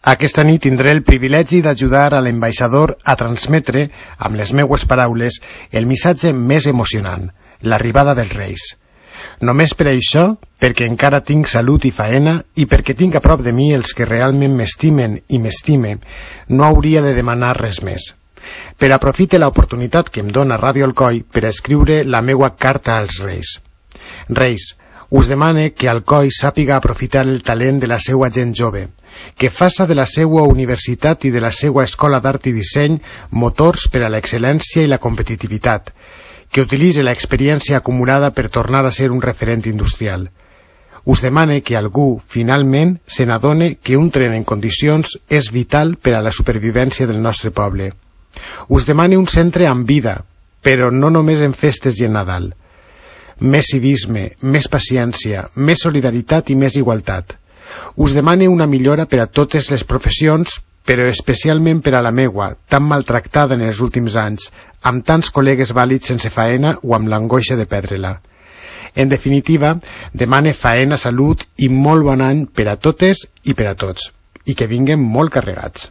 Aquesta nit tindré el privilegi d'ajudar a l'ambaixador a transmetre, amb les meues paraules, el missatge més emocionant, l'arribada dels Reis. Només per això, perquè encara tinc salut i faena i perquè tinc a prop de mi els que realment m'estimen i m'estime, no hauria de demanar res més. Però aprofite l'oportunitat que em dona Ràdio Alcoi per escriure la meua carta als Reis. Reis, us demane que Alcoi sàpiga aprofitar el talent de la seua gent jove, que faça de la seua universitat i de la seua escola d'art i disseny motors per a l'excel·lència i la competitivitat, que utilitzi l'experiència acumulada per tornar a ser un referent industrial. Us demane que algú, finalment, se n'adone que un tren en condicions és vital per a la supervivència del nostre poble. Us demane un centre amb vida, però no només en festes i en Nadal. Més civisme, més paciència, més solidaritat i més igualtat. Us demane una millora per a totes les professions, però especialment per a la meua, tan maltractada en els últims anys, amb tants col·legues vàlids sense faena o amb l'angoixa de perdre-la. En definitiva, demane faena, salut i molt bon any per a totes i per a tots, i que vinguen molt carregats.